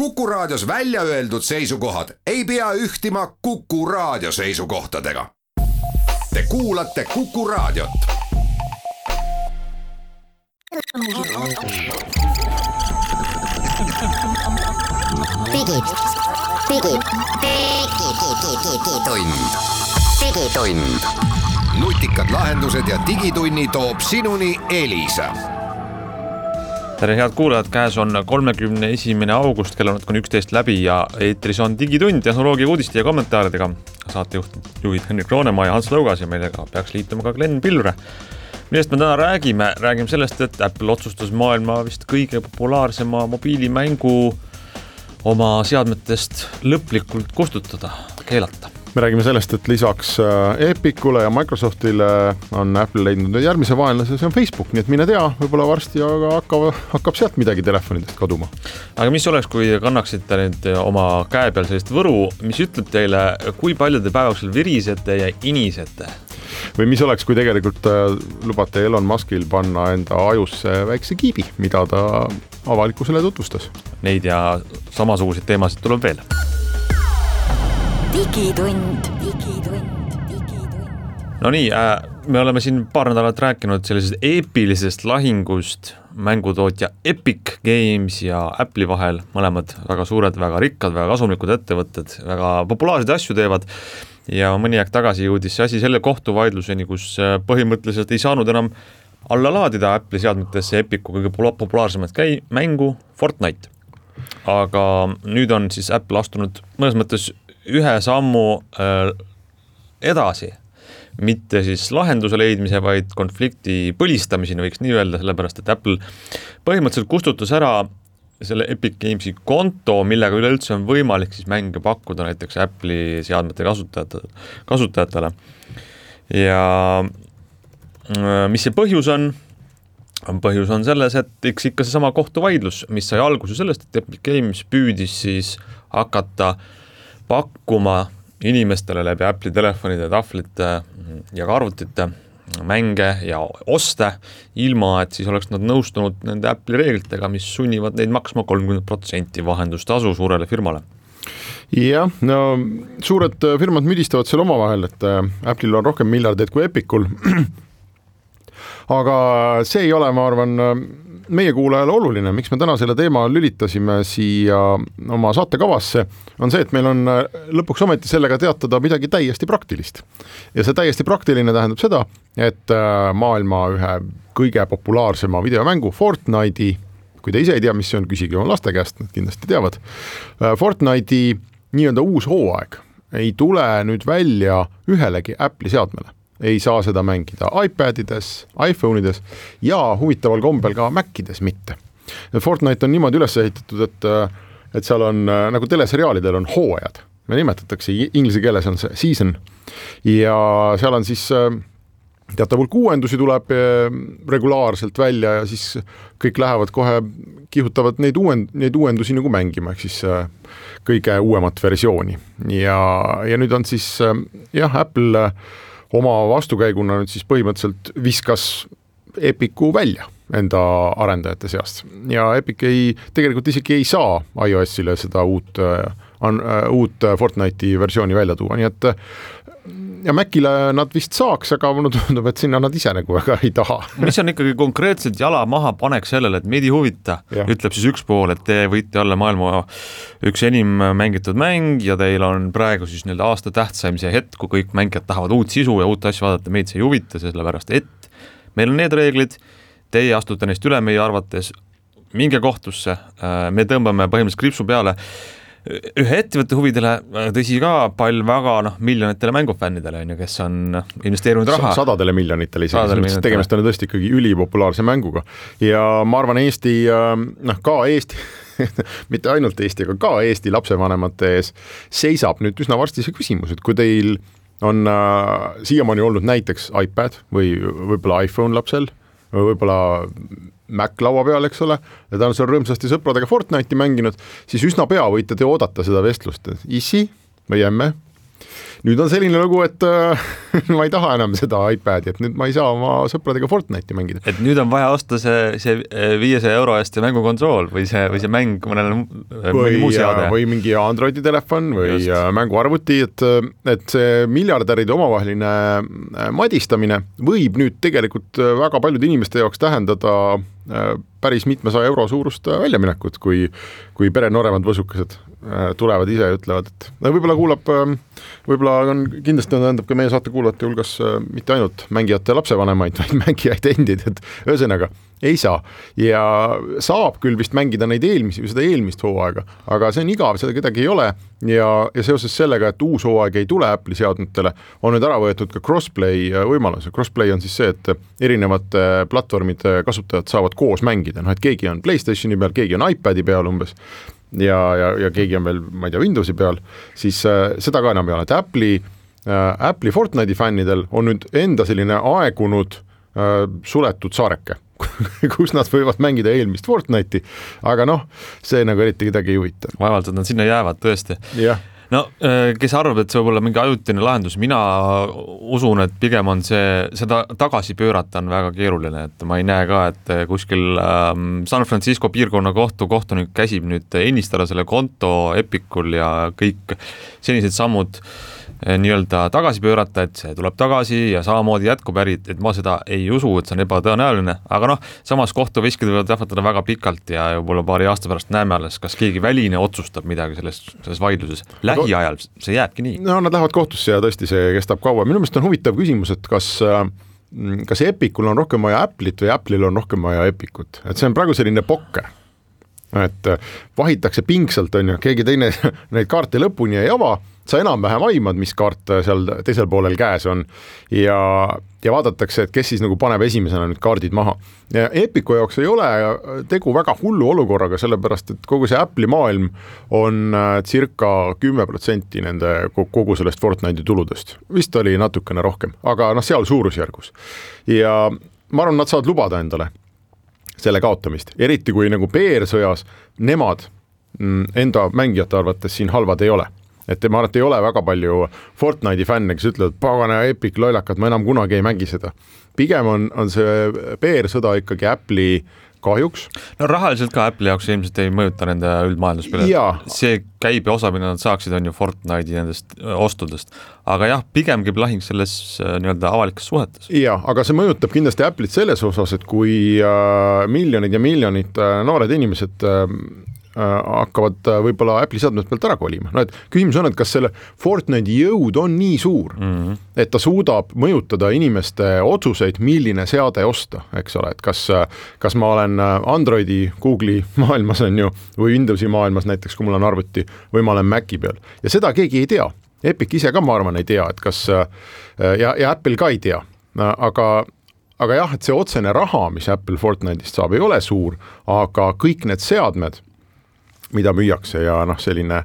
Kuku Raadios välja öeldud seisukohad ei pea ühtima Kuku Raadio seisukohtadega. Te kuulate Kuku Raadiot. Digitund. Nutikad lahendused ja digitunni toob sinuni Elisa. Tere head kuulajad, käes on 31. august, kell on natuke 11 läbi ja eetris on digitund tehnoloogia uudiste ja kommentaaridega. Saatejuhid Henrik Roonemaa ja Hans Lõugas ja meilega peaks liituma ka Glenn Pilvre. Millest me täna räägime sellest, et Apple otsustas maailma vist kõige populaarsema mobiilimängu oma seadmetest lõplikult kustutada, keelata. Me räägime sellest, et lisaks Epicule ja Microsoftile on Apple leidnud järgmise vaenlase, see on Facebook, nii et mine tea, võib-olla varsti hakkab sealt midagi telefonidest kaduma. Aga mis oleks, kui kannaksite nüüd oma käe peal sellist võru, mis ütleb teile, kui palju te päevaksil virisete ja inisete? Või mis oleks, kui tegelikult lubate Elon Muskil panna enda ajusse väikse kiibi, mida ta avalikkusele tutvustas? Neid ja samasuguseid teemasid tuleb veel. Digitund. No nii, me oleme siin paar nädalat rääkinud sellisest eepilisest lahingust mängutootja Epic Games ja Apple'i vahel, mõlemad väga suured, väga rikkad, väga kasumlikud ettevõtted, väga populaarseid asju teevad ja mõni aeg tagasi jõudis see asi selle kohtuvaidluseni, kus põhimõtteliselt ei saanud enam alla laadida Apple'i seadmetesse Epicu kõige populaarsemat mängu Fortnite. Aga nüüd on siis Apple astunud mõnes mõttes ühe sammu edasi, mitte siis lahenduse leidmise, vaid konflikti põlistamiseni võiks nii öelda, sellepärast et Apple põhimõtteliselt kustutas ära selle Epic Gamesi konto, millega üleüldse on võimalik siis mänge pakkuda näiteks Apple'i seadmete kasutajatele. Ja mis see põhjus on? Põhjus on selles, et ikka see sama kohtuvaidlus, mis sai alguse sellest, et Epic Games püüdis siis hakata pakkuma inimestele läbi Apple'i telefonide, tahvlite ja arvutite mänge ja oste, ilma et siis oleks nad nõustunud nende Apple'i reeglitega, mis sunnivad neid maksma 30% vahendustasu suurele firmale. Jah, no suured firmad müdistavad seal omavahel, et Apple'il on rohkem miljardeid kui Epicul. Aga see ei ole, ma arvan, meie kuulajale oluline, miks me täna selle teema lülitasime siia oma saatekavasse, on see, et meil on lõpuks ometi sellega teatada midagi täiesti praktilist. Ja see täiesti praktiline tähendab seda, et maailma ühe kõige populaarsema videomängu Fortnite'i, kui te ise ei tea, mis see on, küsige oma laste käest, nad kindlasti teavad, Fortnite'i nii-öelda uus hooaeg ei tule nüüd välja ühelegi Apple'i seadmele. Ei saa seda mängida iPadides, iPhone'ides ja huvitaval kombel ka Macides mitte. Fortnite on niimoodi üles ehitatud, et seal on, nagu teleseriaalidel on hooajad. Me nimetatakse, inglise keeles on see season. Ja seal on siis teatav hulk uuendusi tuleb regulaarselt välja ja siis kõik lähevad kohe, kihutavad neid uuendusi nagu mängima, ehk siis kõige uuemat versiooni. Ja nüüd on siis, Apple oma vastukäiguna nüüd siis põhimõtteliselt viskas Epicu välja enda arendajate seast. Ja Epic tegelikult isegi ei saa iOS-ile seda uut Fortnite'i versiooni välja tuua, nii et ja Macile nad vist saaks, aga mulle tundub, et sinna nad ise nagu väga ei taha. Mis on ikkagi konkreetselt jala maha panek sellele, et meid ei huvita, ütleb siis üks pool, et te võite olla maailma üks enim mängitud mäng ja teil on praegu siis aasta tähtsaimise hetk, kui kõik mängijad tahavad uut sisu ja uut asju vaadata, meid see ei huvita, sellepärast et meil on need reeglid, teie astute neist üle meie arvates, minge kohtusse, me tõmbame põhimõtteliselt kripsu peale ühe ettevõtte huvidele, tõsi ka pall väga miljonitele mängufännidele, kes on investeerinud raha. Sadadele miljonitele isegi, tegemist on tõesti ikkagi ülipopulaarse mänguga. Ja ma arvan Eesti, ka Eesti, mitte ainult Eesti, aga ka Eesti lapsevanemate ees seisab nüüd üsna varsti see küsimus, et kui teil on siiamaani olnud näiteks iPad või võib-olla iPhone lapsel, või võib-olla Mac laua peal, eks ole, ja ta on seal rõõmsasti sõpradega Fortnite'i mänginud, siis üsna pea võite te oodata seda vestlust. Issi või emme, nüüd on selline lugu, et ma ei taha enam seda iPadi, et nüüd ma ei saa oma sõpradega Fortnite'i mängida. Et nüüd on vaja osta see 500 euro eest mängukonsool või see mäng mõnele muu seade. Või mingi Androidi telefon või just mänguarvuti, et see miljardäride omavaheline madistamine võib nüüd tegelikult väga paljude inimeste jaoks tähendada päris mitmesaja euro suurust väljaminekut, kui pere nooremad võsukesed tulevad ise ja ütlevad, et võib-olla on kindlasti tähendab ka meie saate kuulajate hulgas mitte ainult mängijate lapsevanemaid, vaid mängijaid endid, et ühesõnaga ei saa. Ja saab küll vist mängida neid seda eelmist hooaega, aga see on igav, seda kedagi ei ole ja seoses sellega, et uus hooaeg ei tule Apple'i seadmetele, on nüüd ära võetud ka crossplay võimalus. Crossplay on siis see, et erinevad platvormide kasutajad saavad koos mängida, et keegi on PlayStationi peal, keegi on iPadi peal umbes ja keegi on veel, ma ei tea, Windowsi peal, siis seda ka enam ei ole, et Apple'i Fortnite'i fännidel on nüüd enda selline aegunud suletud saareke, kus nad võivad mängida eelmist Fortnite'i, aga see nagu eriti kedagi ei huvita. Vaevalt, et nad sinna jäävad tõesti. No, kes arvab, et see võib olla mingi ajutine lahendus, mina usun, et pigem on seda tagasi pöörata on väga keeruline, et ma ei näe ka, et kuskil San Francisco piirkonna kohtunik käsib nüüd ennistada selle konto Epicul ja kõik senised sammud nii-öelda tagasi pöörata, et see tuleb tagasi ja samamoodi jätkub äri, et ma seda ei usu, et see on ebatõenäoline, aga samas kohtuveskid võivad tähvatada väga pikalt ja võib-olla paari aasta pärast näeme alles, kas keegi väline otsustab midagi selles vaidluses. Lähiajal see jääbki nii. No nad lähevad kohtusse ja tõesti see kestab kaua. Minu meelest on huvitav küsimus, et kas Epicul on rohkem vaja Apple'it või Apple'il on rohkem vaja Epicut, et see on praegu selline pokker, et vahitakse pingsalt, on ju, keegi teine neid kaarte lõpuni ei ava, sa enam-vähem aimad, mis kaart seal teisel poolel käes on ja vaadatakse, et kes siis nagu paneb esimesena nüüd kaardid maha. Ja Epicu jaoks ei ole tegu väga hullu olukorraga, sellepärast, et kogu see Apple'i maailm on circa 10% nende kogu sellest Fortnite'i tuludest. Vist oli natukene rohkem, aga seal suurusjärgus. Ja ma arvan, nad saavad lubada endale selle kaotamist, eriti kui nagu PR-sõjas nemad enda mängijate arvates siin halvad ei ole. Et ma arvan, et ei ole väga palju Fortnite'i fänne, kes ütlevad, pagana Epic loilakad, ma enam kunagi ei mängi seda. Pigem on see PR-sõda ikkagi Apple'i kahjuks. No rahaliselt ka Apple'i jaoks ilmselt ei mõjuta nende üldmaailmaspile. See käibe osa, mida nad saaksid, on ju Fortnite'i nendest ostudest. Aga jah, pigem käib lahing selles nii-öelda avalikes suhetes. Ja, aga see mõjutab kindlasti Apple'it selles osas, et kui miljonid ja miljonid noored inimesed hakkavad võib-olla Apple'i seadmed pealt ära kolima. Et küsimus on, et kas selle Fortnite'i jõud on nii suur, et ta suudab mõjutada inimeste otsuseid, milline seade osta, eks ole, et kas ma olen Androidi, Google'i maailmas on ju, või Windowsi maailmas näiteks, kui mul on arvuti, või ma olen Maci peal. Ja seda keegi ei tea. Epic ise ka, ma arvan, ei tea, et kas ja Apple ka ei tea. Aga jah, et see otsene raha, mis Apple Fortnite'ist saab, ei ole suur, aga kõik need seadmed, mida müüakse ja selline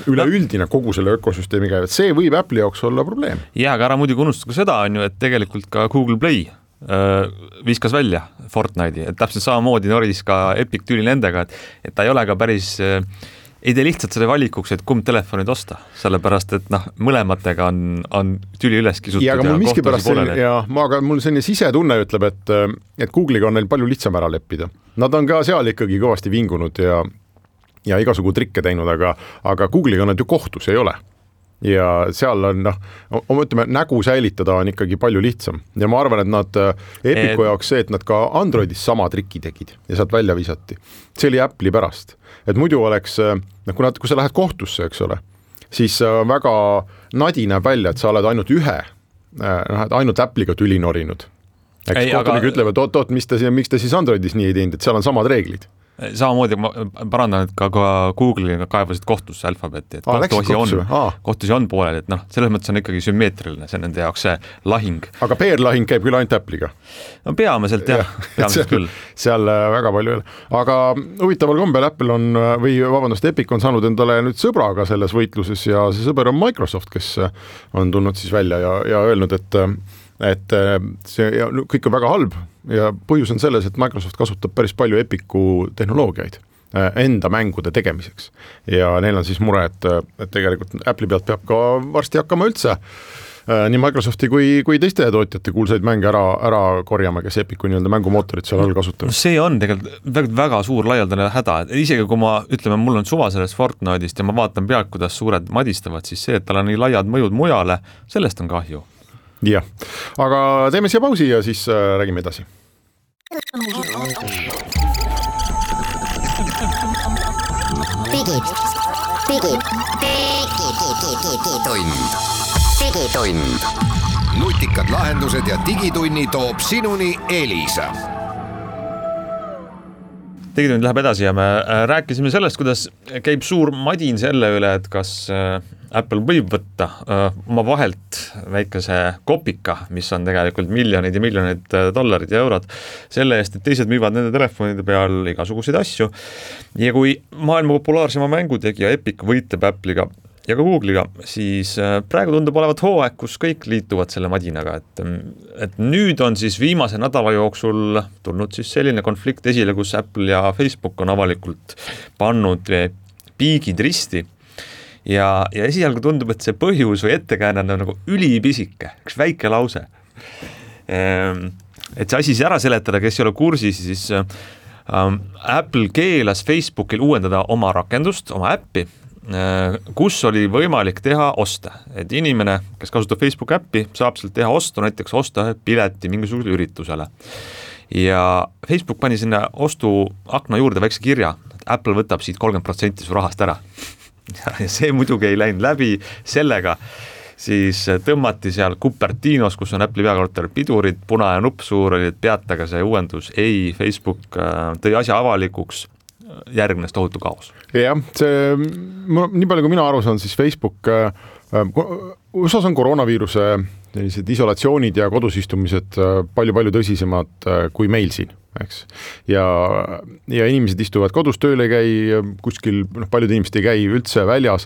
üleüldine kogu selle ökosüsteemiga, et see võib Apple'i jaoks olla probleem. Ja, aga ära muidugi unustada seda on ju, et tegelikult ka Google Play viskas välja Fortnite'i, et täpselt samamoodi noris ka Epic tüli nendega, et ta ei ole ka päris ei tee lihtsalt selle valikuks, et kumb telefonid osta, sellepärast, et mõlematega on tüli üles kisutud ja kohtusi poolele. Aga mul selline sisetunne ütleb, et Google'iga on neil palju lihtsam ära leppida. Nad on ka seal ikkagi kõvasti vingunud ja igasugu trikke teinud, aga Google'iga nad ju kohtus ei ole. Ja seal on, ütleme, nägu säilitada on ikkagi palju lihtsam. Ja ma arvan, et nad Epicu jaoks see, et nad ka Androidis sama triki tegid ja sealt välja visati. See oli Apple'i pärast. Et muidu oleks, kui sa lähed kohtusse, eks ole, siis väga nadi näeb välja, et sa oled ainult Apple'iga tüli norinud. Kohtunik ütlevad, miks te siis Androidis nii ei teinud, et seal on samad reeglid. Samamoodi ma parandan, et ka Google'iga kaevasid kohtusse Alphabeti, et kohtusi on pooleli, et selles mõttes on ikkagi sümmeetriline, see nende jaoks see lahing. Aga PR-lahing käib küll ainult Apple'iga? No peamiselt jah, küll. Seal väga palju ei ole. Aga huvitaval kombel Apple on, Epic on saanud endale nüüd sõbraga selles võitluses ja see sõber on Microsoft, kes on tulnud siis välja ja öelnud, et see kõik on väga halb ja põhjus on selles, et Microsoft kasutab päris palju Epicu tehnoloogiaid enda mängude tegemiseks. Ja neil on siis mure, et tegelikult Apple'i pealt peab ka varsti hakkama üldse nii Microsofti kui teiste tootjate kuulsaid mänge ära korjama, kes Epicu nii-öelda mängumootorit seal all kasutavad. See on tegelikult väga suur laialdane häda, et isegi kui mul on suva sellest Fortnite'ist ja ma vaatan pealt, kuidas suured madistavad, siis see, et tal on nii laiad mõjud mujale, sellest on kahju. Jah, aga teeme siia pausi ja siis räägime edasi. Digitund. Nutikad lahendused ja digitunni toob sinuni Elisa. Digitund läheb edasi ja me rääkisime sellest, kuidas käib suur madin selle üle, et kas Apple võib võtta oma vahelt väikese kopika, mis on tegelikult miljoneid ja miljoneid dollarid ja eurod, selle eest, et teised müüvad nende telefonide peal igasuguseid asju. Ja kui maailma populaarsema mängutegija Epic võitleb Apple'iga ja ka Google'iga, siis praegu tundub olevat hooaeg, kus kõik liituvad selle madinaga, et nüüd on siis viimase nädala jooksul tulnud siis selline konflikt esile, kus Apple ja Facebook on avalikult pannud piigid risti ja esialgu tundub, et see põhjus või ettekääne on nagu ülipisike, üks väike lause. Et see asi ära seletada, kes ei ole kursis, siis Apple keelas Facebookil uuendada oma rakendust, oma äppi, kus oli võimalik teha oste, et inimene, kes kasutab Facebook äppi, saab sealt teha ostu, näiteks osta pileti mingisugusele üritusele. Ja Facebook pani sinna ostu akna juurde väikse kirja, et Apple võtab siit 30% su rahast ära. Ja see muidugi ei läinud läbi sellega, siis tõmmati seal Cupertinos, kus on Apple'i peakorter pidurid, punane nupp suur oli, et peataga see uuendus, ei, Facebook tõi asja avalikuks, järgnes tohutu kaos. Jah, see, nii palju kui mina aru saan, siis Facebook, USA on koroonaviiruse sellised isolatsioonid ja kodusistumised palju tõsisemad kui meil siin, eks. Ja inimesed istuvad kodus, tööl ei käi, kuskil paljud inimesed ei käi üldse väljas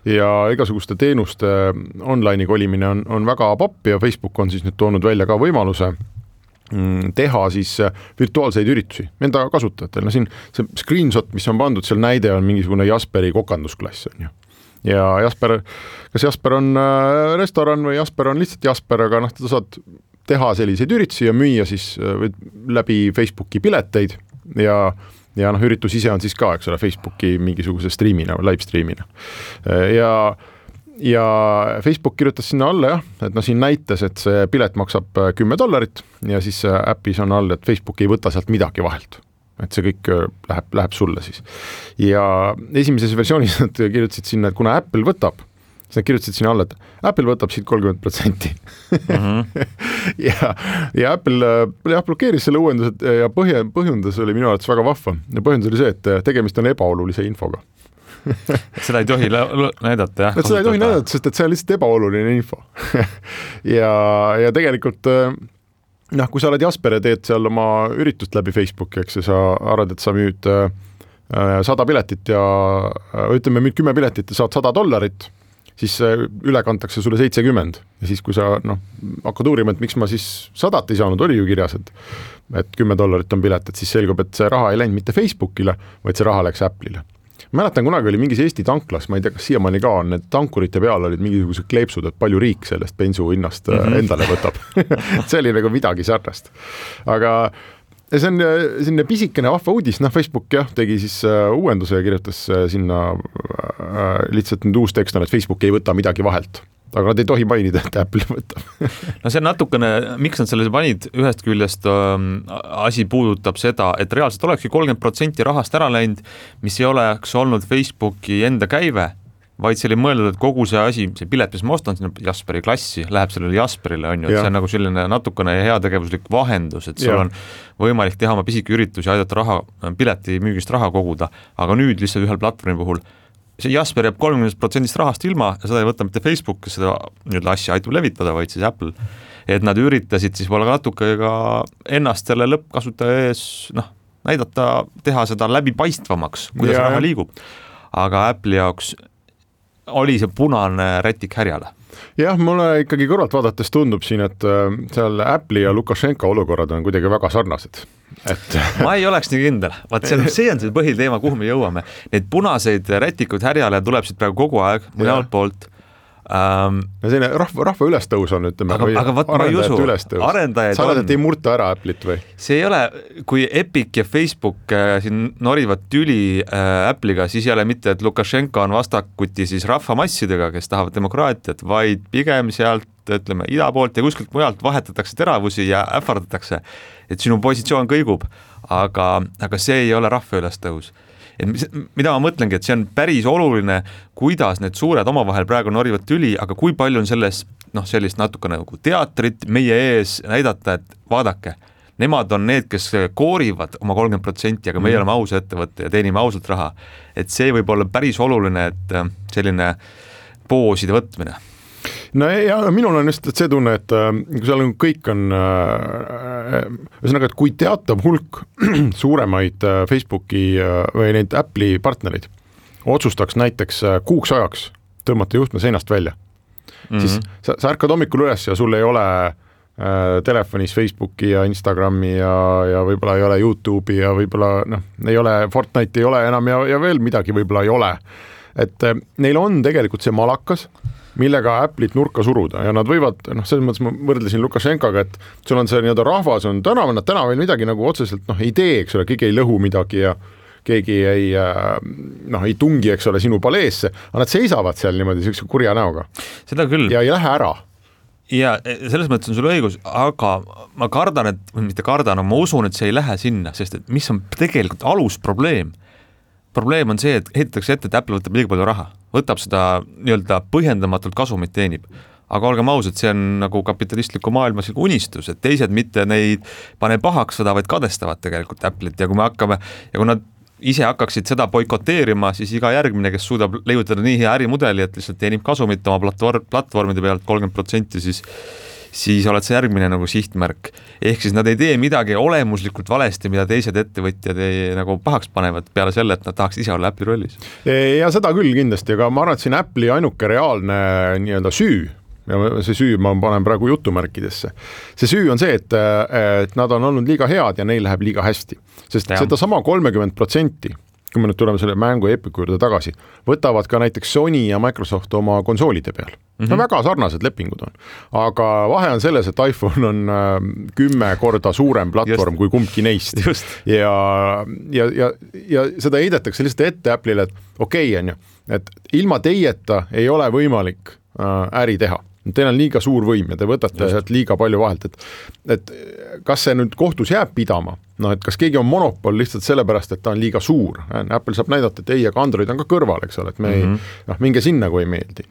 ja igasuguste teenuste online'i kolimine on väga popp ja Facebook on siis nüüd toonud välja ka võimaluse teha siis virtuaalseid üritusi enda kasutajatel. No siin see screenshot, mis on pandud, seal näide on mingisugune Jasperi kokandusklass. On ju. Ja kas Jasper on restoran või Jasper on lihtsalt Jasper, aga ta saad teha selliseid üritusi ja müüa siis läbi Facebooki pileteid ja üritus ise on siis ka, eks ole, Facebooki mingisuguse streamina või live streamina. Ja Facebook kirjutas sinna alla et siin näitas, et see pilet maksab $10 ja siis äpis on all, et Facebook ei võta sealt midagi vahelt. Et see kõik läheb sulle siis. Ja esimeses versioonis nad kirjutasid sinna, et kuna Apple võtab, siis nad kirjutasid sinna alla, et Apple võtab siit 30%. ja Apple blokeeris selle uuendused ja põhjendus oli minu arvates väga vahva. Ja põhjendus oli see, et tegemist on ebaolulise infoga. Seda ei tohi näidata, jah. Seda ei tohi näidata, sest et see on lihtsalt ebaoluline info. ja tegelikult, kui sa oled Jasper ja teed seal oma üritust läbi Facebooki, eks sa arvad, et sa müüd 100 piletit ja müüd 10 piletit ja saad $100, siis üle kantakse sulle 70. Ja siis, kui sa hakkad uurima, et miks ma siis 100 ei saanud, oli ju kirjas, et $10 on pilet, et siis selgub, et see raha ei läinud mitte Facebookile, vaid see raha läks Apple'ile. Mäletan, kunagi oli mingis Eesti tanklas, ma ei tea, kas siiamaani ka on, need tankurite peal olid mingisugused kleepsud, et palju riik sellest bensu hinnast endale võtab. See oli nagu midagi sarnast. Aga see on selline pisikene vahva uudis, Facebook tegi siis uuenduse ja kirjutas sinna lihtsalt nüüd uus tekst on, et Facebook ei võta midagi vahelt. Aga nad ei tohi mainida, et Apple võtab. No see on natukene, miks nad selle panid, ühest küljest asi puudutab seda, et reaalselt olekski 30% rahast ära läinud, mis ei oleks olnud Facebooki enda käive, vaid see oli mõeldud, et kogu see asi, see pilet, mis ma ostan sinna Jasperi klassi, läheb sellele Jasperile, on ju, et see on nagu selline natukene heategevuslik vahendus, et sul on võimalik teha oma pisiki üritusi, aidata pileti müügist raha koguda, aga nüüd lihtsalt ühel platvormi puhul see Jasper jääb 30% rahast ilma ja seda ei võta mitte Facebook, kes seda asja aitab levitada, vaid siis Apple. Et nad üritasid siis võib-olla natuke ka ennast selle lõppkasutaja ees näidata, teha seda läbipaistvamaks, kuidas raha liigub. Aga Apple'i jaoks oli see punane rätik härjale? Jah, mulle ikkagi kõrvalt vaadates tundub siin, et seal Apple'i ja Lukašenka olukorrad on kuidagi väga sarnased. Ma ei oleks nii kindel. Vaat see on see põhiteema, kuhu me jõuame. Neid punaseid rätikuid härjale tuleb siit praegu kogu aeg mõnelt poolt. Selline rahva ülestõus on, ütleme, aga vaat ma ei usu, arendajaid sa oled, et ei murta ära Apple'it või? See ei ole, kui Epic ja Facebook siin norivad tüli Apple'iga, siis ei ole mitte, et Lukašenka on vastakuti siis rahvamassidega, kes tahavad demokraatiat, vaid pigem sealt, ütleme, ida poolt ja kuskilt mujalt vahetatakse teravusi ja ähvardatakse, et sinu positsioon kõigub, aga see ei ole rahva ülestõus. Et mida ma mõtlengi, et see on päris oluline, kuidas need suured omavahel praegu norivad tüli, aga kui palju on selles sellist natuke nagu teatrit meie ees näidata, et vaadake, nemad on need, kes koorivad oma 30%, aga meie oleme aus ettevõtte ja teenime ausalt raha. Et see võib olla päris oluline, et selline pooside võtmine. No ja minul on just see tunne, et kui seal kõik on ühesõnaga, et kui teatav hulk suuremaid Facebooki või neid Apple'i partnereid otsustaks näiteks kuuks ajaks tõmmata juhtme seinast välja, siis sa ärkad hommikul üles ja sul ei ole telefonis Facebooki ja Instagrami ja võib-olla ei ole YouTube'i ja võib-olla ei ole Fortnite ei ole enam ja veel midagi võib-olla ei ole. Et neil on tegelikult see malakas, millega Apple'it nurka suruda ja nad võivad, selles mõttes ma võrdlesin Lukašenkaga, et sul on see nii-öelda rahvas on täna veel midagi nagu otseselt ei tee, eks ole, keegi ei lõhu midagi ja keegi ei tungi, eks ole, sinu paleesse, aga nad seisavad seal niimoodi sellise kurja näoga. Seda küll. Ja ei lähe ära. Ja selles mõttes on sul õigus, aga ma kardan, mitte kardan, ma usun, et see ei lähe sinna, sest et mis on tegelikult alusprobleem? Probleem on see, et ehitatakse ette, et Apple võtab liiga palju raha, võtab seda nii-öelda põhjendamatult kasumit teenib. Aga olgem ausad, see on nagu kapitalistliku maailmas unistus, et teised mitte neid pane pahaks seda, vaid kadestavad tegelikult Apple'it ja kui me hakkame, ja kui nad ise hakkaksid seda boikoteerima, siis iga järgmine, kes suudab leiutada nii hea ärimudeli, et lihtsalt teenib kasumit oma platvormide pealt 30%, siis oled see järgmine nagu sihtmärk. Ehk siis nad ei tee midagi olemuslikult valesti, mida teised ettevõtjad nagu pahaks panevad peale selle, et nad tahaks ise olla Apple'i rollis. Ja seda küll kindlasti, aga ma arvan, et siin Apple'i ainuke reaalne nii-öelda süü, ja see süü ma panen praegu jutumärkidesse. See süü on see, et nad on olnud liiga head ja neil läheb liiga hästi. Sest seda sama 30%, kui me nüüd tuleme selle mängu Epicu juurde tagasi, võtavad ka näiteks Sony ja Microsoft oma konsoolide peal. Väga sarnased lepingud on. Aga vahe on selles, et iPhone on 10 korda suurem platvorm kui kumbki neist. Ja seda heidetakse lihtsalt ette Apple'ile, et okei, et ilma teieta ei ole võimalik äri teha. Teil on liiga suur võim ja te võtate liiga palju vahelt, et kas see nüüd kohtus jääb pidama, et kas keegi on monopol lihtsalt sellepärast, et ta on liiga suur. Apple saab näidata, et ei, aga Android on ka kõrval, eks ole, et me minge sinna, kui ei meeldi.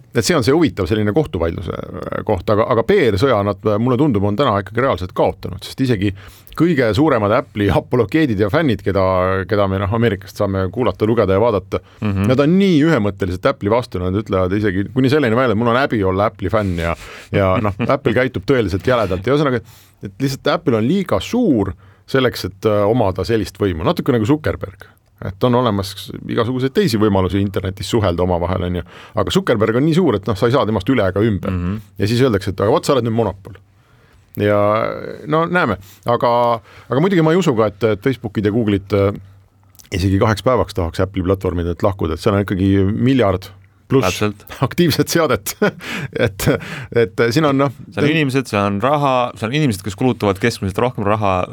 Et see on see huvitav selline kohtuvaidluse koht, aga PR-sõja nad, mulle tundub, on täna ikkagi reaalselt kaotanud, sest isegi kõige suuremad Apple'i apologeedid ja fännid, keda me Ameerikast saame kuulata, lugeda ja vaadata, nad on nii ühemõtteliselt Apple'i vastu, nad ütlevad isegi kuni selleni välja, et mul on häbi olla Apple'i fänn ja Apple käitub tõeliselt jäledalt ja ühesõnaga, et lihtsalt Apple on liiga suur selleks, et omada sellist võimu, natuke nagu Zuckerberg. Et on olemas igasuguseid teisi võimalusi internetis suhelda omavahel, aga Zuckerberg on nii suur, et sa ei saa temast üle ega ümber. Ja siis öeldakse, et aga sa oled nüüd monopol. Ja näeme, aga muidugi ma ei usu ka, et Facebookid ja Google'id isegi 2 päevaks tahaks Apple'i platvormidelt lahkuda, et seal on ikkagi miljard pluss aktiivset seadet, et siin on seal on inimesed, seal on raha, seal on inimesed, kes kulutavad keskmiselt rohkem raha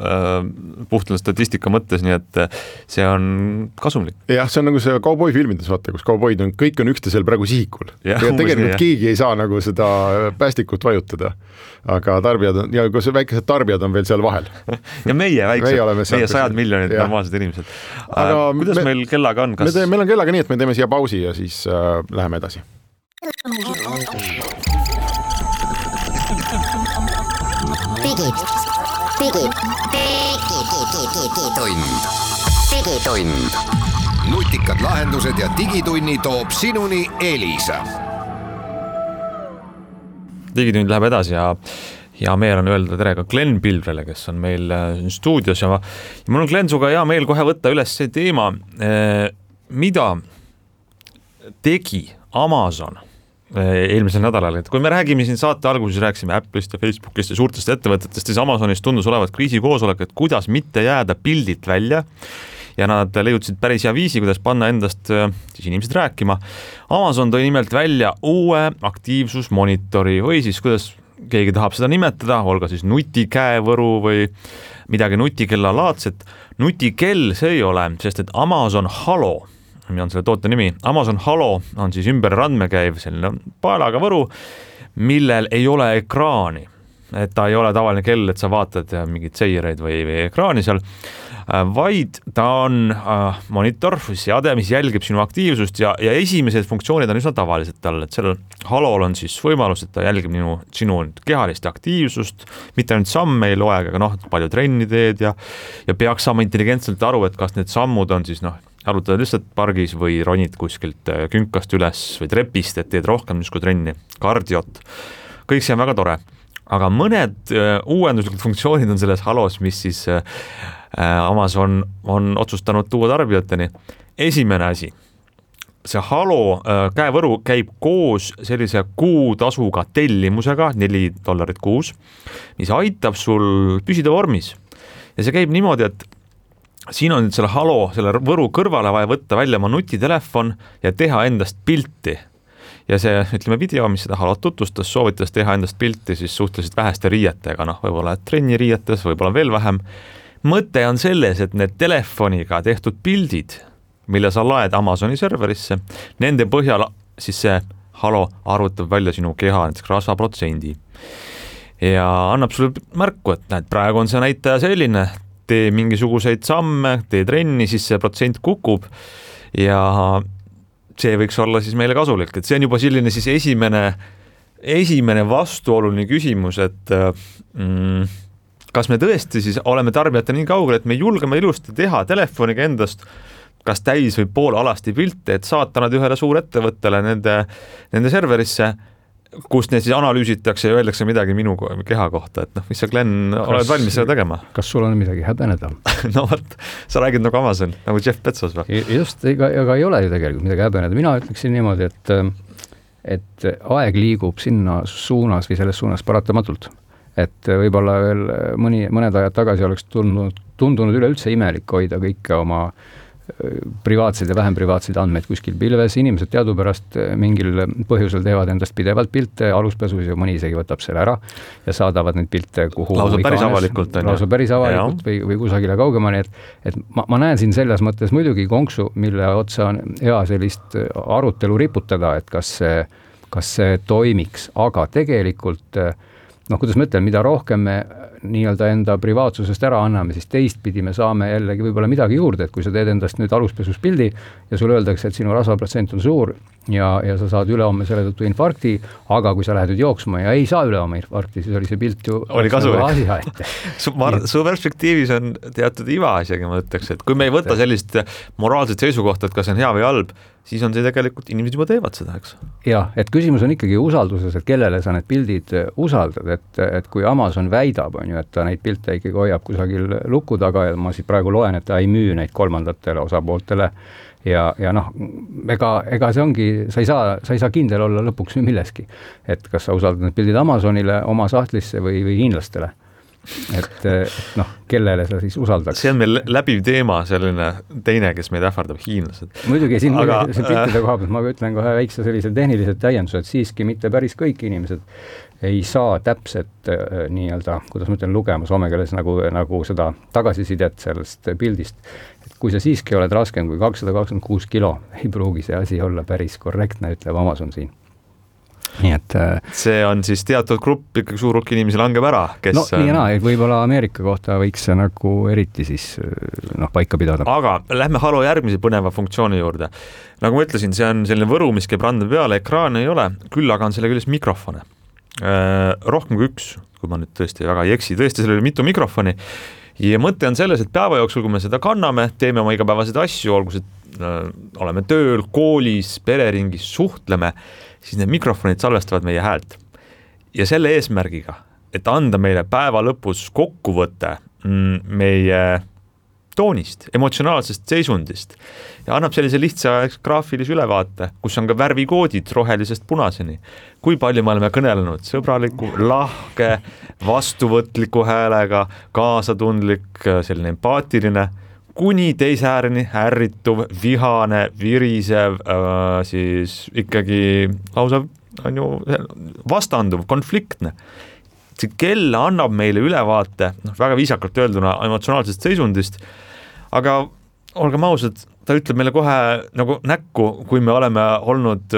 puhtalt statistika mõttes, nii et see on kasumlik. Jah, see on nagu see kauboi filmides, vaata, kus kauboid on, kõik on üksteisel praegu sihikul. Ja tegelikult keegi ei saa nagu seda päästikut vajutada, aga tarbijad on, ja kui see väikesed tarbijad on veel seal vahel. Ja meie väiksed, meie 100 miljonid normaalsed inimesed. Aga kuidas meil kellaga on? Meil on kellaga nii, et me teeme siia pausi ja siis läheme edasi. Digitund. Nutikad lahendused ja digitunni toob sinuni Elisa. Digitund läheb edasi ja meel on öelda tere ka Glen Pilvrele, kes on meil stuudios ja mul on Glen suga hea meel kohe võtta üles see teema, mida tegi Amazon eelmisel nädalal, et kui me räägime siin saate alguses, rääkisime Apple'ist ja Facebookist ja suurtest ettevõtetest, siis Amazonist tundus olevat kriisikoosolek, et kuidas mitte jääda pildilt välja ja nad leiutasid päris hea viisi, kuidas panna endast siis inimesed rääkima. Amazon tõi nimelt välja uue aktiivsusmonitori või siis kuidas keegi tahab seda nimetada, olga siis nutikäevõru või midagi nutikella laadset. Nutikell see ei ole, sest et Amazon Halo on selle toote nimi. Amazon Halo on siis ümber randmekäiv selline paelaga võru, millel ei ole ekraani. Et ta ei ole tavaline kell, et sa vaatad mingid seireid või ekraani seal, vaid ta on monitor, seade, mis jälgib sinu aktiivsust ja esimesed funktsioonid on üsna tavalised tal, et sellel Halol on siis võimalus, et ta jälgib sinu kehalist aktiivsust, mitte ainult samme ei loe, aga palju trenni teed ja peaks saama intelligentselt aru, et kas need sammud on siis arutad lihtsalt pargis või ronid kuskilt künkast üles või trepist, et teed rohkem niisku trenni, kardiot. Kõik see on väga tore. Aga mõned uuenduslikud funktsioonid on selles Halos, mis siis Amazon on otsustanud tuua tarbijateni. Esimene asi, see Halo käevõru käib koos sellise kuutasuga tellimusega, $4 kuus, mis aitab sul püsida vormis. Ja see käib niimoodi, et siin on nüüd selle Halo, selle võru kõrvale vaja võtta välja oma nutitelefon ja teha endast pilti. Ja see, ütleme, video, mis seda Halot tutvustas, soovitas teha endast pilti siis suhteliselt väheste riietega, võib-olla trenniriietes, võib-olla veel vähem. Mõte on selles, et need telefoniga tehtud pildid, mille sa laed Amazoni serverisse, nende põhjal siis see Halo arvutab välja sinu keha rasvaprotsendi. Ja annab sulle märku, et näed, praegu on see näitaja selline, tee mingisuguseid samme, tee trenni, siis see protsent kukub ja see võiks olla siis meile kasulik, et see on juba selline siis esimene vastuoluline küsimus, et kas me tõesti siis oleme tarbijate nii kaugel, et me julgeme ilusti teha telefoniga endast kas täis või pool alasti pilte, et saata nad ühele suurettevõttele nende serverisse, kus need siis analüüsitakse ja öeldakse midagi minu keha kohta, et mis sa, Glenn, oled valmis seda tegema? Kas sul on midagi häbeneda? No võt, sa räägid nagu Amazon, nagu Jeff Bezos või? Just, ega ei ole ju tegelikult midagi häbeneda. Mina ütleksin niimoodi, et aeg liigub sinna suunas või selles suunas paratamatult. Et võib-olla veel mõned ajad tagasi oleks tundunud üleüldse imelik hoida kõike oma privaatseid ja vähem privaatseid andmeid kuskil pilves. Inimesed teadupärast mingil põhjusel teevad endast pidevalt pilte aluspesus ja mõni isegi võtab selle ära ja saadavad neid pilte kuhu lausa päris avalikult või kusagile kaugemale. Et ma näen siin selles mõttes muidugi konksu, mille otsa on hea sellist arutelu riputada, et kas see toimiks, aga tegelikult kuidas ma ütlen, mida rohkem me nii-öelda enda privaatsusest ära anname, siis teistpidi me saame jällegi võib-olla midagi juurde, et kui sa teed endast nüüd aluspesus pildi ja sulle öeldakse, et sinu rasvaprotsent on suur ja sa saad ülehomme selle tõttu infarkti, aga kui sa lähed nüüd jooksma ja ei saa ülehomme infarkti, siis oli see pilt ju oli kasulik. Su perspektiivis on teatud iva isegi, ma ütleks, et kui me ei võta sellist moraalset seisukohta, et kas on hea või halb, siis on see tegelikult, inimesed juba teevad seda, eks? Jah, et küsimus on ikkagi usalduses, et kellele sa need pildid usaldad, et kui Amazon väidab, on ju, et ta neid pilte ikkagi hoiab kusagil luku taga ja ma siis praegu loen, et ta ei müü neid kolmandatele osapooltele ja ega see ongi, sa ei saa kindel olla lõpuks milleski, et kas sa usaldad need pildid Amazonile, oma sahtlisse või hiinlastele. Et kellele sa siis usaldaks? See on meil läbiv teema, selline teine, kes meid ähvardab, hiinlased. Muidugi siin piltide koha pealt ma ütlen kohe väikse sellise tehnilised täiendused, siiski mitte päris kõik inimesed ei saa täpselt nii-öelda, kuidas ma ütlen, lugema soomekeeles nagu seda tagasisidet sellest pildist. Et kui sa siiski oled raskem kui 226 kilo, ei pruugi see asi olla päris korrektne, ütleb Amazon siin. Nii et see on siis teatud grupp, ikkagi suur hulk inimesi langeb ära, kes nii ja võib-olla Ameerika kohta võiks see nagu eriti siis paika pidada. Aga lähme Halo järgmise põneva funktsiooni juurde. Nagu ma ütlesin, see on selline võru, mis käib randa peale, ekraane ei ole, küll aga on selle küljes mikrofone. Rohkem kui üks, kui ma nüüd tõesti väga ei eksi, tõesti sellele mitu mikrofoni ja mõte on selles, et päeva jooksul, kui me seda kanname, teeme oma igapäevaseid asju, olgu see oleme tööl, koolis, pereringis, suhtleme, siis need mikrofonid salvestavad meie häält. Ja selle eesmärgiga, et anda meile päeva lõpus kokkuvõte meie toonist, emotsionaalsest seisundist ja annab sellise lihtsa graafilise ülevaate, kus on ka värvikoodid rohelisest punaseni. Kui palju me oleme kõnelenud sõbraliku, lahke, vastuvõtliku häälega, kaasatundlik, selline empaatiline, kuni teise ääreni ärrituv, vihane, virisev, siis ikkagi lausa on ju vastanduv, konfliktne. See kell annab meile ülevaate, väga viisakalt öelduna emotsionaalsest seisundist, aga olgem ausad, ta ütleb meile kohe nagu näkku, kui me oleme olnud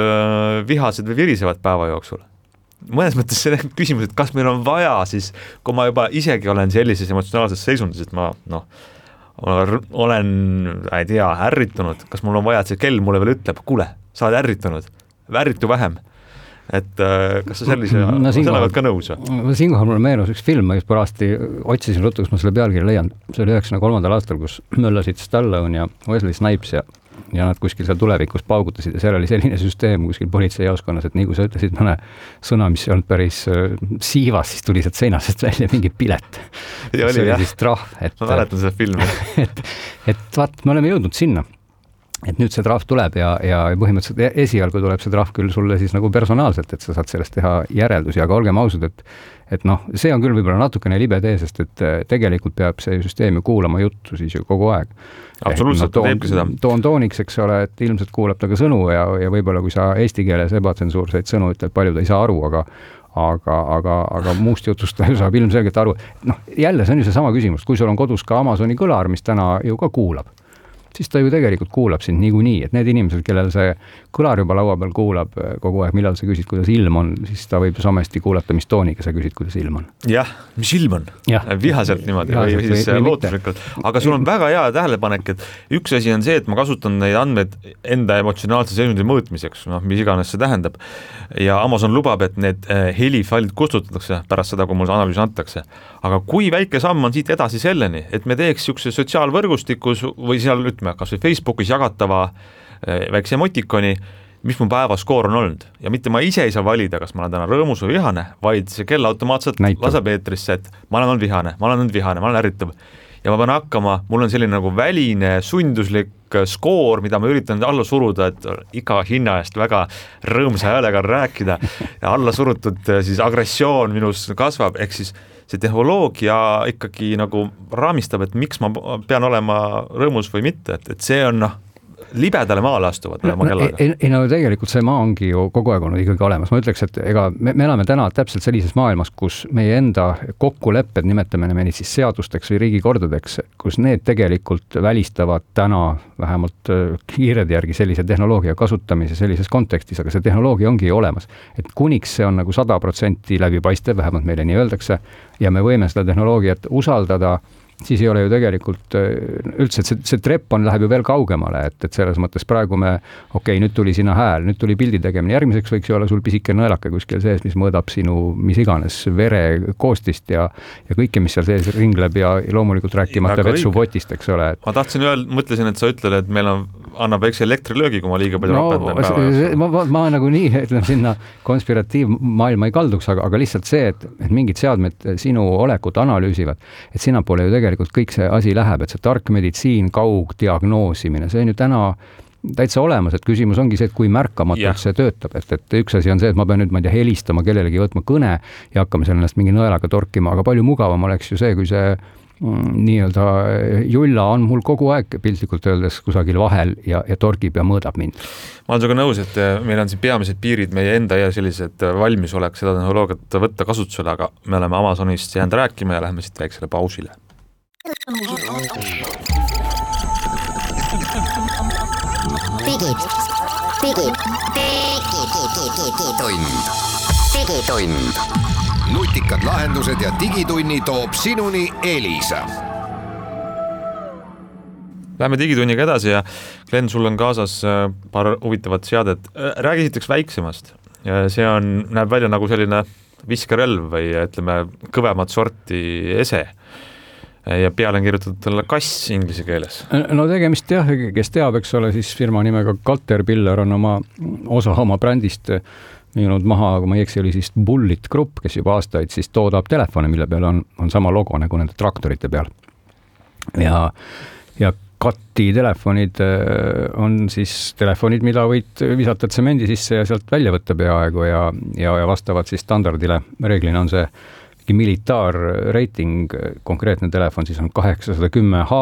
vihased või virisevad päeva jooksul. Mõnes mõttes see küsimus, et kas meil on vaja siis, kui ma juba isegi olen sellises emotsionaalses seisundis, et ma olen, ei tea, ärritunud, kas mul on vaja, et see kell mulle veel ütleb, kuule, sa oled ärritunud, ärritu vähem. Et kas sa sellega ka nõus? Siinkohal mulle meenus üks film, ma just parasti otsisin ruttu, kus ma selle pealkirja leian. See oli 1993. aastal, kus möllasid Stallone ja Wesley Snipes ja nad kuskil seal tulevikus paugutasid ja seal oli selline süsteem kuskil politseijaoskonnas, et nii kui sa ütlesid mõne sõna, mis ei olnud päris siivas, siis tuli sealt seinasest välja mingi pilet. Ja see oli siis trahv. Ma mäletan seda filmi. et vaat, me oleme jõudnud sinna. Et nüüd see trahv tuleb ja põhimõtteliselt esialgu tuleb see trahv küll sulle siis nagu personaalselt, et sa saad sellest teha järeldusi, aga olgem ausad, et noh, see on küll võib-olla natukene libe tee, sest et tegelikult peab see süsteem ju kuulama juttu siis ju kogu aeg. Absoluutselt, ta teebki seda. Toon tooniks, eks ole, et ilmselt kuulab ta ka sõnu ja võib-olla kui sa eesti keeles ebatsensuurseid sõnu ütled, palju ta ei saa aru, aga muust jutust ta ju saab ilmselgelt aru. Noh, jälle see on ju see sama küsimus, kui sul on kodus ka Amazoni kõlar, mis täna ju ka kuulab, siis ta ju tegelikult kuulab sind niikuinii, et need inimesed, kellel see kõlar juba laua peal kuulab kogu aeg, millal sa küsid, kuidas ilm on, siis ta võib samasti kuulata, mis tooniga sa küsid, kuidas ilm on. Jah, mis ilm on? Vihaselt niimoodi või siis lootuslikult. Aga sul on väga hea tähelepanek, et üks asi on see, et ma kasutan neid andmeid enda emotsionaalse seisundi mõõtmiseks, mis iganes see tähendab. Ja Amazon lubab, et need helifailid kustutatakse pärast seda, kui mul analüüs antakse. Aga kui väike samm on siit edasi selleni, et me teeks niisuguse sotsiaalvõrgustikus või seal ütleme, kas või Facebookis jagatava väikse emotikoni, mis mu päevaskoor on olnud. Ja mitte ma ise ei saa valida, kas ma olen täna rõõmus või vihane, vaid see kell automaatselt laseb eetrisse, et ma olen olnud vihane, ma olen ärritav. Ja ma pean hakkama, mul on selline nagu väline sunduslik skoor, mida ma üritan alla suruda, et iga hinna eest väga rõõmsa häälega rääkida ja alla surutud siis agressioon minus kasvab, ehk siis see tehnoloogia ikkagi nagu raamistab, et miks ma pean olema rõõmus või mitte, et see on libedale maale astuvad oma kellaga. Ei, no tegelikult see maa ongi ju kogu aeg olnud ikkagi olemas. Ma ütleks, et ega me elame täna täpselt sellises maailmas, kus meie enda kokkulepped, nimetame neid siis seadusteks või riigikordadeks, kus need tegelikult välistavad täna vähemalt kiired järgi sellise tehnoloogia kasutamise sellises kontekstis, aga see tehnoloogia ongi olemas. Et kuniks see on nagu 100% läbipaistev, vähemalt meile nii öeldakse, ja me võime seda tehnoloogiat usaldada, siis ei ole ju tegelikult üldse, et see trepp läheb ju veel kaugemale, et selles mõttes praegu me, nüüd tuli sinna hääl, nüüd tuli pildi tegemine, järgmiseks võiks ju olla sul pisike nõelake kuskil sees, mis mõõdab sinu mis iganes vere koostist ja kõike, mis seal sees ringleb ja loomulikult rääkimata vetsupotist, eks ole. Ma tahtsin mõtlesin, et sa ütled, et meil annab väikse elektrilöögi, kui ma liiga palju rapendan. Ma nagu nii, ütleme sinna konspiratiivmaailma ei kalduks, aga lihtsalt see, et mingid seadmed sinu olekut analüüsivad, et sinna pole ju tegelikult kõik see asi läheb, et see tark meditsiin, kaugdiagnoosimine, see on ju täna täitsa olemas, et küsimus ongi see, et kui märkamatult see töötab, et üks asi on see, et ma pean nüüd, helistama kellelegi, võtma kõne ja hakkame seal ennast mingi nõelaga torkima, aga palju mugavam oleks ju see, kui see nii-öelda julla on mul kogu aeg piltlikult öeldes kusagil vahel ja torgib ja mõõdab mind. Ma olen sinuga nõus, et meil on siin peamised piirid meie enda ja sellised valmisolek seda tehnoloogiat võtta kasutusele, aga me oleme Amazonist jäänud rääkima ja läheme siit väiksele pausile. Digitund. Nutikad lahendused ja digitunni toob sinuni Elisa. Läheme digitunniga edasi ja Glenn, sul on kaasas paar huvitavat seadet. Räägi esiteks väiksemast. See näeb välja nagu selline viskerelv või ütleme kõvemat sorti ese. Ja peale on kirjutatud talle kass inglise keeles. No tegemist jah, kes teab, eks ole, siis firma nimega Caterpillar on osa oma brändist müünud maha, kui ma ei eksi, oli siis Bullitt Group, kes juba aastaid siis toodab telefone, mille peal on sama logo nagu nende traktorite peal. Ja ja katti telefonid on siis telefonid, mida võid visata tsemendi sisse ja sealt välja võtta peaaegu ja vastavad siis standardile. Reeglina on see militaarreiting, konkreetne telefon siis on 810H,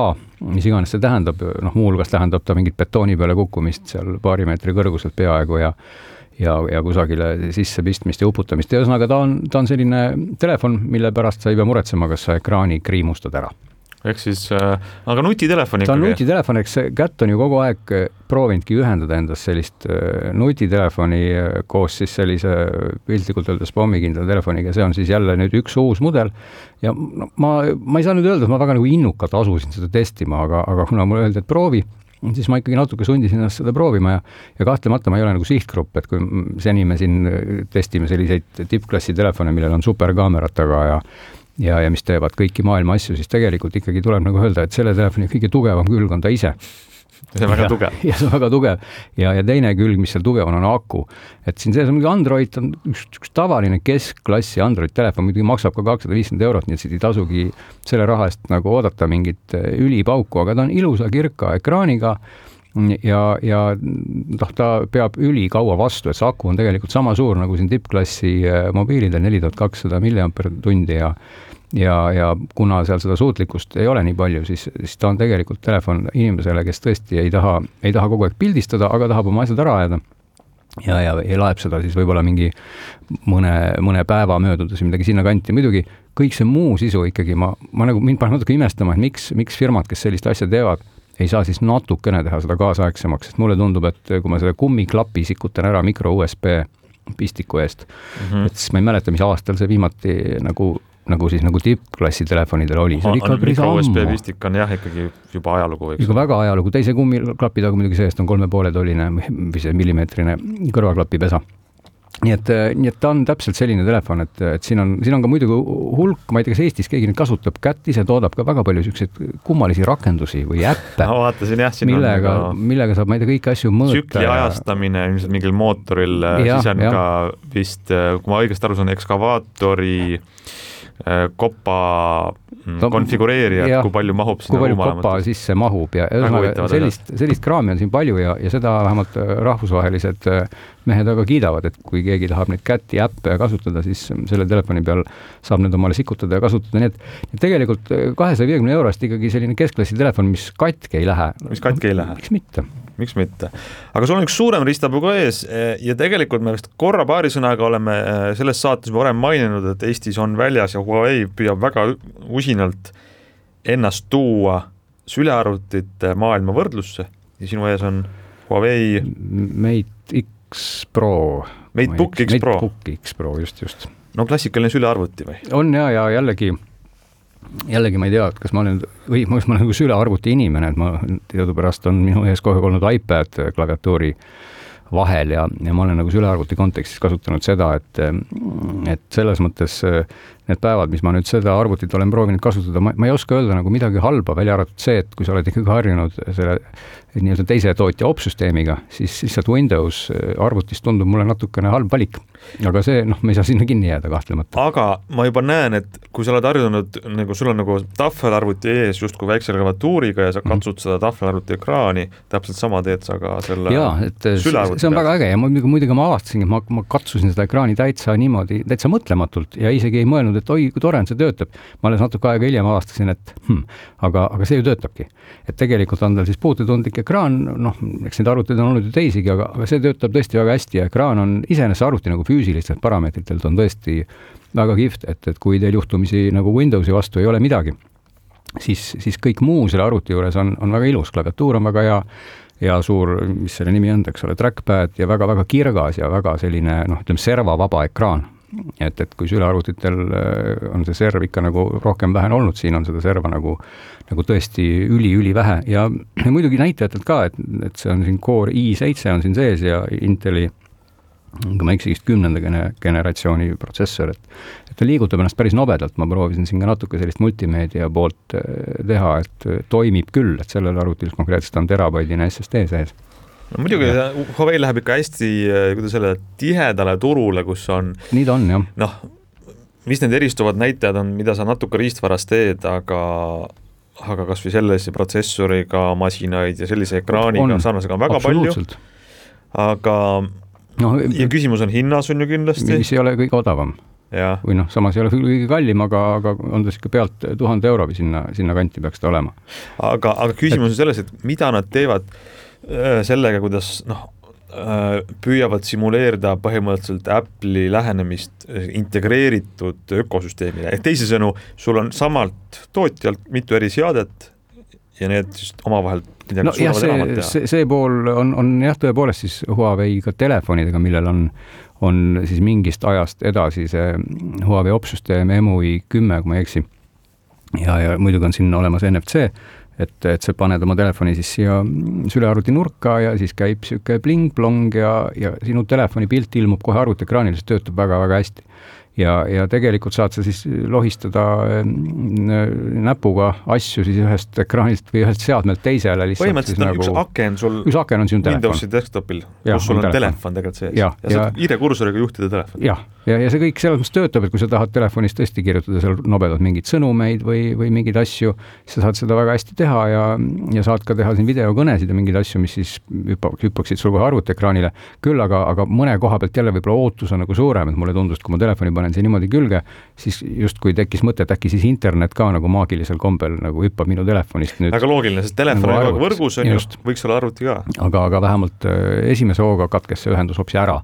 mis iganes see tähendab, muuhulgas tähendab ta mingit betooni peale kukkumist seal paari meetri kõrguselt peaaegu ja kusagile sisse pistmist ja uputamist. Ja ühesõnaga ta on selline telefon, mille pärast sa ei pea muretsema, kas sa ekraani kriimustad ära. Ehk siis, aga nutitelefon ikkagi? Ta on nutitelefon, eks Kätt on ju kogu aeg proovinudki ühendada endast sellist nutitelefoni koos siis sellise piltlikult öeldes pommikindla telefoniga. See on siis jälle nüüd üks uus mudel ja ma ei saa nüüd öelda, et ma väga nagu innukalt asusin seda testima, aga kuna mulle öeldi, et proovi, siis ma ikkagi natuke sundisin ennast seda proovima ja kahtlemata ma ei ole nagu sihtgrupp, et kui seni me siin testime selliseid tippklassi telefone, millel on superkaamerat taga ja mis teevad kõiki maailma asju, siis tegelikult ikkagi tuleb nagu öelda, et selle telefoni kõige tugevam külg on ta ise. See on väga tugev. Ja see on väga tugev. Ja teine külg, mis seal tugev on Aku. Et siin sees on Android, on üks tavaline keskklassi Android-telefon, muidugi maksab ka 250 €, nii et siit ei tasugi selle raha eest nagu oodata mingit ülipauku, aga ta on ilusa kirka ekraaniga ja ta peab ülikaua vastu, et see aku on tegelikult sama suur nagu siin tippklassi mobiilidel 4200 mAh ja kuna seal seda suutlikkust ei ole nii palju, siis ta on tegelikult telefon inimesele, kes tõesti ei taha kogu aeg pildistada, aga tahab oma asjad ära ajada ja laeb seda siis võib-olla mingi mõne päeva möödudes või midagi sinna kanti. Muidugi kõik see muu sisu ikkagi, mind paneb natuke imestama, et miks firmad, kes sellist asja teevad, ei saa siis natukene teha seda kaasaegsemaks, sest mulle tundub, et kui ma selle kummiklapi sikutan ära mikro USB pistiku eest, et siis ma ei mäleta, mis aastal see viimati nagu tippklassi telefonidel oli. Mikro USB pistik on jah ikkagi juba ajalugu. Juba väga ajalugu, teise kummiklapi taga muidugi seest on 3,5 tolline või see millimeetrine kõrvaklapi pesa. Nii et ta on täpselt selline telefon, et siin on ka muidugi hulk, ma ei tea, kas Eestis keegi nüüd kasutab, Kätt ise toodab ka väga palju selliseid kummalisi rakendusi või äppe, millega saab, ma ei tea, kõiki asju mõõta. Tsükli ajastamine ilmselt mingil mootoril, siis on ka vist, kui ma õigesti aru saan, ekskavaatori kopa konfigureerija, kui palju mahub sinna ruumalamat. Kui palju kopa sisse mahub ja sellist kraami on siin palju ja seda vähemalt rahvusvahelised mehed aga kiidavad, et kui keegi tahab neid Käti äppe kasutada, siis selle telefoni peal saab need omale sikutada ja kasutada. Nii et tegelikult 250 € ikkagi selline keskklassi telefon, mis katki ei lähe. Mis katki ei lähe? Miks mitte? Aga sul on üks suurem ristapuu ka ees ja tegelikult me vist korra paari sõnaga oleme selles saates varem maininud, et Eestis on väljas ja Huawei püüab väga usinalt ennast tuua sülearvutite maailma võrdlusse ja sinu ees on Huawei Mate X Pro. Matebook X Pro. Matebook X Pro, just. No klassikaline sülearvuti või? On ja jällegi ma ei tea, et kas ma olen nagu sülearvuti inimene, et ma teadupärast on minu ees kohe olnud iPad klaviatuuri vahel ja ma olen nagu sülearvuti kontekstis kasutanud seda, et selles mõttes need päevad, mis ma nüüd seda arvutit olen proovinud kasutada, ma ei oska öelda nagu midagi halba, välja arvatud see, et kui sa oled ikkagi harjunud selle nii-öelda teise tootja opsüsteemiga, siis lihtsalt Windows arvutist tundub mulle natukene halb valik. Aga see, me ei saa sinna kinni jääda kahtlemata. Aga ma juba näen, et kui sa oled harjunud, nagu sul on nagu tahvelarvuti ees justkui väikse klaviatuuriga ja sa katsud seda tahvelarvuti ekraani, täpselt sama teed sa ka selle sülearvuti. See on väga äge ja muidugi ma avastasin, et ma katsusin seda ekraani täitsa niimoodi, täitsa mõtlematult ja isegi ei mõelnud, et oi, kui tore on see töötab. Ma alles natuke aega hiljem avastasin, et aga see ju töötabki. Et tegelikult on tal siis puututundlik ekraan, eks neid arvuteid on olnud ju teisigi, aga see töötab tõesti väga hästi ja ekraan on iseenesest arvuti nagu füüsilistelt parameetritelt on tõesti väga kihvt, et kui teil juhtumisi nagu Windowsi vastu ei ole midagi, siis kõik muu selle arvuti juures on väga ilus, klaviatuur on väga hea ja suur, mis selle nimi on, eks ole, trackpad ja väga-väga kirgas ja väga selline, servavaba ekraan. Et kui sülearvutitel on see serv ikka nagu rohkem vähen olnud, siin on seda serva nagu tõesti üli vähe ja muidugi näitajatelt ka, et see on siin Core i7 on siin sees ja Inteli, kui ma eksigist 10. generatsiooni protsessor, et ta liigutab ennast päris nobedalt, ma proovisin siin ka natuke sellist multimeedia poolt teha, et toimib küll, et sellel arvutil konkreetselt on terabaidine SSD sees. No, muidugi Huawei läheb ikka hästi selle tihedale turule, kus on... Nii ta on, jah. Mis need eristuvad näitajad on, mida sa natuke riistvaras teed, aga aga kas või sellise protsessoriga masinaid ja sellise ekraaniga sarnasega on väga palju, aga ja küsimus on hinnas on ju kindlasti. Mis ei ole kõige odavam. Ja. Või samas ei ole kõige kallim, aga on ta ikka pealt 1000 euro või sinna kanti peaks ta olema. Aga küsimus on selles, et mida nad teevad sellega, kuidas püüavad simuleerida põhimõtteliselt Apple'i lähenemist integreeritud ökosüsteemile. Ehk teisisõnu, sul on samalt tootjalt mitu eri seadet ja need just omavahel midagi suudavad enamat teha. See pool on jah tõepoolest siis Huawei'ga telefonidega, millel on siis mingist ajast edasi see Huawei opsüsteem EMUI 10, kui ma ei eksi. Ja muidugi on siin olemas NFC, et see paned oma telefoni siis siia sülearvuti nurka ja siis käib siuke bling-blong ja sinu telefoni pilt ilmub kohe arvutiekraanil, see töötab väga-väga hästi. Ja tegelikult saad sa siis lohistada näpuga asju siis ühest ekraanilt või ühest seadmelt teisele lihtsalt. Põhimõtteliselt üks aken sul Windowsi desktopil, kus sul on telefon tegelikult sees ja saad ID-kursoriga juhtida telefoni. Ja see kõik selles mõttes töötab, et kui sa tahad telefonis tõesti kirjutada seal nobedalt mingeid sõnumeid või mingeid asju, siis sa saad seda väga hästi teha ja saad ka teha siin videokõnesid ja mingeid asju, mis siis hüppaksid sul kohe arvutiekraanile. Küll aga mõne koha pealt jälle võib-olla ootus on nagu suurem, et mulle tundus, et kui ma telefoni panen see niimoodi külge, siis just kui tekkis mõte, et äkki siis internet ka nagu maagilisel kombel nagu hüppab minu telefonist nüüd. Väga loogiline, sest telefon nagu võrgus on just, võiks olla arvuti ka. Aga vähemalt esimese hooga katkes see ühendus hoopis ära.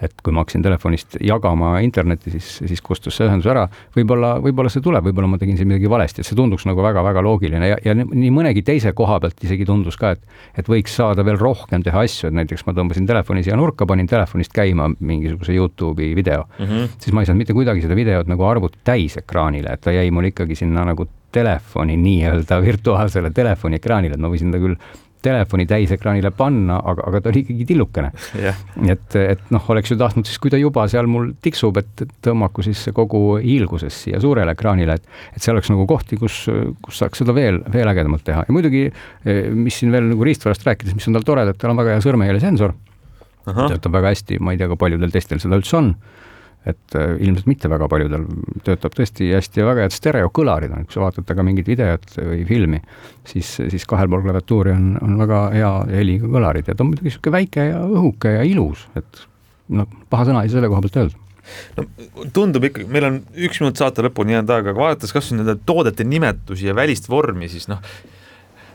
Et kui ma hakkasin telefonist jagama interneti, siis kustus see ühendus ära. Võib-olla see tuleb, võib-olla ma tegin siin midagi valesti, et see tunduks nagu väga-väga loogiline ja nii mõnegi teise koha pealt isegi tundus ka, et võiks saada veel rohkem teha asju, et näiteks ma tõmbasin telefoni siia nurka, panin telefonist käima mingisuguse YouTube'i video, siis ma ei saanud mitte kuidagi seda videot nagu arvuti täis ekraanile, et ta jäi mul ikkagi sinna nagu telefoni nii-öelda virtuaalsele telefoni ekraanile, et ma võisin ta küll telefoni täisekraanile panna, aga ta oli ikkagi tillukene. Et oleks ju tahtnud siis, kui ta juba seal mul tiksub, et tõmmaku siis kogu hiilguses siia suurele ekraanile, et see oleks nagu kohti, kus saaks seda veel ägedamalt teha. Ja muidugi, mis siin veel nagu riistvarast rääkides, mis on tal tored, et tal on väga hea sõrmejälje sensor. Töötab väga hästi, ma ei tea, kui paljudel teistel seda üldse on. Et ilmselt mitte väga paljudel töötab tõesti hästi ja väga head stereokõlarid on, kui sa vaatad ka mingit videot või filmi, siis kahel pool klaviatuuri on väga hea heliga kõlarid ja ta on muidugi siuke väike ja õhuke ja ilus, et paha sõna ei selle koha pealt öelda. No, tundub ikkagi, meil on 1 minut saate lõpuni jäänud aega, aga vaadates kas nende toodete nimetusi ja välist vormi, siis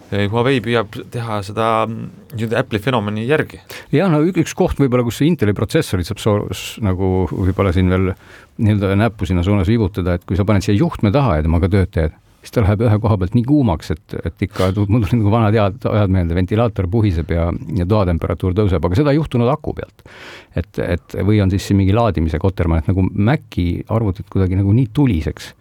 Huawei püüab teha seda Apple'i fenomeni järgi. Ja üks koht võib-olla, kus see Inteli protsessorid saab nagu võib-olla siin veel nii-öelda näppu sinna suunas viibutada, et kui sa paned siia juhtme taha ja temaga tööd teed, siis ta läheb ühe koha pealt nii kuumaks, et ikka mul tuli nagu vanad ajad meelde, ventilaator puhiseb ja toatemperatuur tõuseb, aga seda ei juhtunud aku pealt. Et või on siis mingi laadimise koterma, et nagu Maci arvutid kuidagi nagu nii tuliseks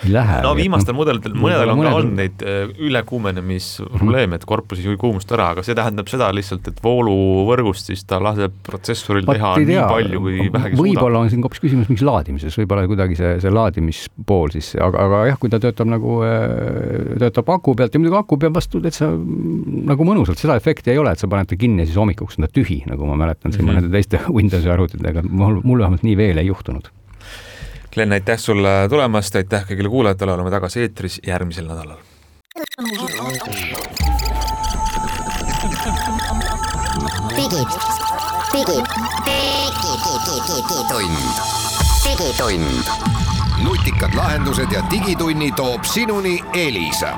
lähe. No viimastel mudelitel, mõnedel on ka olnud neid ülekuumenemisprobleeme, et korpus ei kuumust ära, aga see tähendab seda lihtsalt, et vooluvõrgust siis ta laseb protsessoril teha nii palju, kui vähegi suudab. Võib-olla on siin hoopis küsimus mingis laadimises, võib-olla kuidagi see laadimispool siis, aga jah, kui ta töötab nagu töötab aku pealt ja muidugi aku peab vastu, et sa nagu mõnusalt, seda efekti ei ole, et sa paned ta kinni ja siis hommikuks on ta tühi, nagu ma mäletan siin mõnede teiste Windowsi arvutitega, mul vähemalt nii veel ei juhtunud. Glen, aitäh sulle tulemast, aitäh kõigile kuulajatele, oleme tagasi eetris järgmisel nädalal. Digitund. Nutikad lahendused ja digitunni toob sinuni Elisa.